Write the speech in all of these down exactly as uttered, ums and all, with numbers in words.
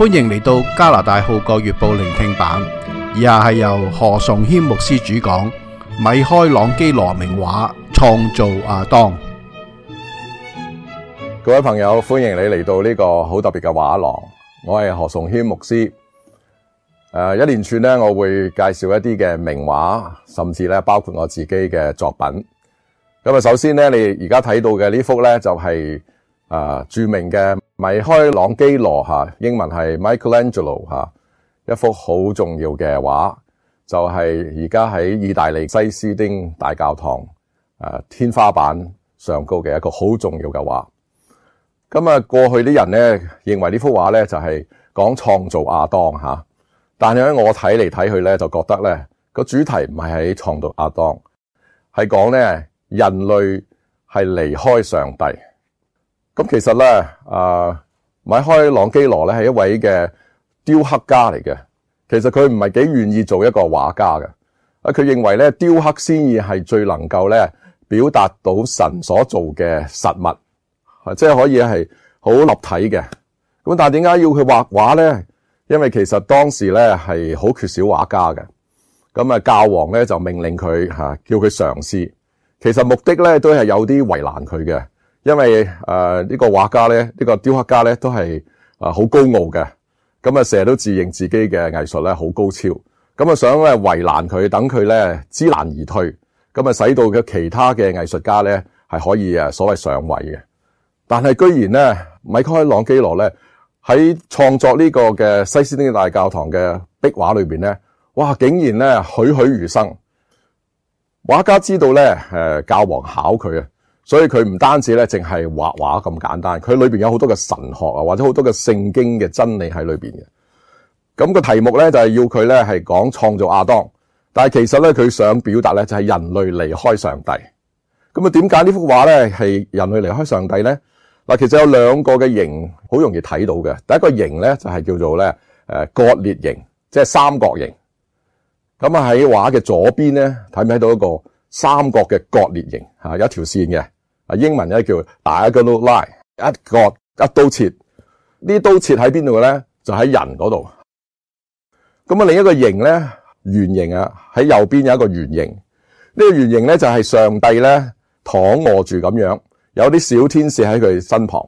歡迎嚟到加拿大號角月報聆聽版，以下係由何崇謙牧師主講，米開朗基羅名畫《創造亞當》。各位朋友，歡迎你嚟到呢個好特別嘅畫廊。我係何崇謙牧師。誒、呃，一連串咧，我會介紹一啲嘅名畫，甚至咧包括我自己嘅作品。咁啊，首先咧，你而家睇到嘅呢幅咧，就係、是、誒、呃、著名嘅米開朗基羅吓，英文係 Michelangelo 吓，一幅好重要嘅畫，就係而家喺意大利西斯丁大教堂誒、呃、天花板上高嘅一個好重要嘅畫。咁啊，過去啲人咧認為呢幅畫咧就係講創造亞當吓，但係咧我睇嚟睇去咧就覺得咧個主題唔係喺創造亞當，係講咧人類係離開上帝。咁其實咧，啊米開朗基羅咧係一位嘅雕刻家嚟嘅。其實佢唔係幾願意做一個畫家嘅。啊，佢認為咧雕刻先至係最能夠咧表達到神所做嘅實物。即係可以係好立體嘅，咁但係點解要佢畫畫咧？因為其實當時咧係好缺少畫家嘅，咁啊教皇咧就命令佢吓，叫佢嘗試。其實目的咧都係有啲為難佢嘅，因為誒呢、呃這個畫家咧，呢、這個雕刻家咧都係啊好高傲嘅，咁啊成日都自認自己嘅藝術咧好高超，咁啊想咧為難佢，等佢咧知難而退，咁啊使到嘅其他嘅藝術家咧係可以誒所謂上位嘅。但係居然咧，米開朗基羅咧喺創作呢個嘅西斯丁大教堂嘅壁畫裏邊咧，哇！竟然咧栩栩如生。畫家知道咧，誒教皇考佢啊，所以佢唔單止咧淨係畫畫咁簡單，佢裏邊有好多嘅神學啊，或者好多嘅聖經嘅真理喺裏邊嘅。咁、那個題目咧就係要佢咧係講創造亞當，但係其實咧佢想表達咧就係人類離開上帝。咁啊，點解呢幅畫咧係人類離開上帝咧？嗱，其實有兩個嘅形好容易睇到嘅。第一個形咧就係叫做咧誒割裂形，即係三角形。咁啊喺畫嘅左邊咧睇唔睇到一個三角嘅割裂形吓，有一條線嘅。啊英文咧叫 diagonal line， 一割一刀切。呢刀切喺邊度咧？就喺人嗰度。咁啊另一個形咧圓形啊，喺右邊有一個圓形。呢個圓形咧就係上帝咧躺臥住咁樣。有啲小天使喺佢身旁。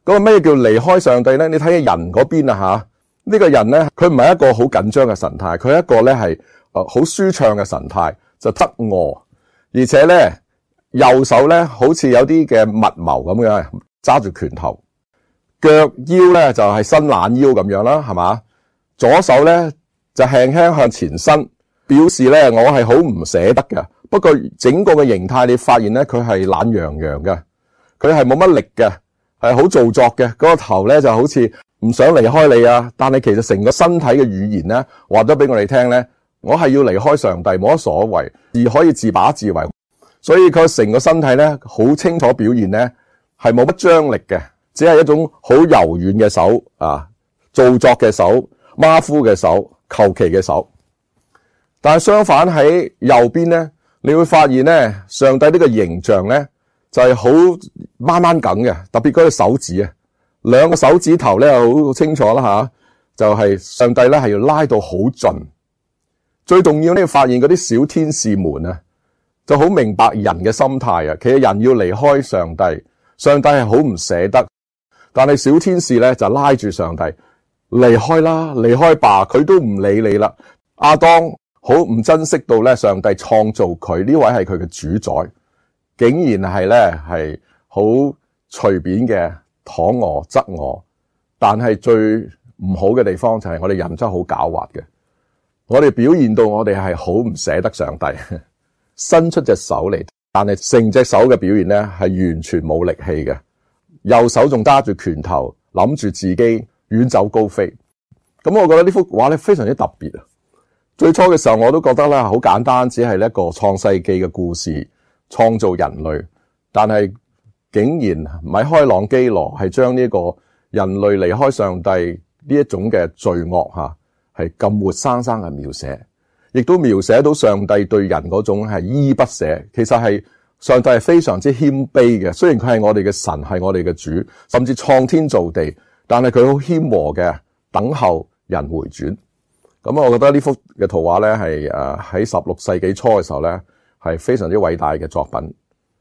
咁啊咩叫離開上帝咧？你睇下人嗰邊啊吓，呢個人咧佢唔係一個好緊張嘅神態，佢係一個咧係誒好舒暢嘅神態，就側臥，而且咧右手咧好似有啲嘅密謀咁樣揸住拳頭，腳腰咧就係伸懶腰咁樣啦，係嘛？左手咧就輕輕向前伸，表示咧我係好唔捨得嘅。不過整個嘅形態，你發現咧，佢係懶洋洋嘅，佢係冇乜力嘅，係好做作嘅。嗰個頭咧就好似唔想離開你啊，但係其實成個身體嘅語言咧，話咗俾我哋聽咧，我係要離開上帝，冇乜所謂，而可以自把自為。所以佢成個身體咧，好清楚表現咧，係冇乜張力嘅，只係一種好柔軟嘅手啊，做作嘅手，馬虎嘅手，求其嘅手。但係相反喺右邊咧。你會發現咧，上帝呢個形象咧就係好掹掹緊嘅，特別嗰隻手指啊，兩個手指頭咧好清楚啦吓，就係上帝咧係要拉到好盡。最重要呢，發現嗰啲小天使們啊，就好明白人嘅心態啊。其實人要離開上帝，上帝係好唔捨得，但係小天使咧就拉住上帝離開啦，離開吧，佢都唔理你啦。亞當好唔珍惜到咧，上帝創造佢呢位係佢嘅主宰，竟然係咧係好隨便嘅躺臥側臥。但係最唔好嘅地方就係我哋人真係好狡猾嘅，我哋表現到我哋係好唔捨得上帝，伸出隻手嚟，但係成隻手嘅表現咧係完全冇力氣嘅，右手仲揸住拳頭，諗住自己遠走高飛。咁我覺得呢幅畫咧非常之特別啊！最初嘅時候我都覺得咧好簡單，只係一個創世記嘅故事，創造人類。但係竟然米開朗基羅係將呢個人類離開上帝呢一種嘅罪惡吓，係咁活生生嘅描寫，亦都描寫到上帝對人嗰種係依依不捨。其實係上帝係非常之謙卑嘅，雖然佢係我哋嘅神，係我哋嘅主，甚至創天造地，但係佢好謙和嘅等候人回轉。咁我覺得呢幅嘅圖畫咧係誒喺十六世紀初嘅時候咧係非常之偉大嘅作品。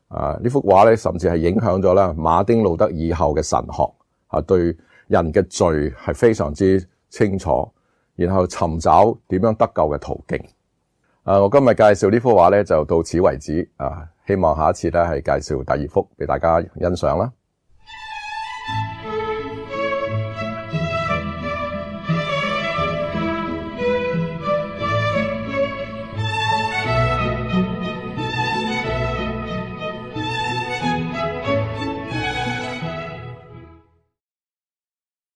啊，呢幅畫咧甚至係影響咗咧馬丁路德以後嘅神學啊，對人嘅罪係非常之清楚，然後尋找點樣得救嘅途徑。啊，我今日介紹呢幅畫咧就到此為止啊，希望下一次咧係介紹第二幅俾大家欣賞啦。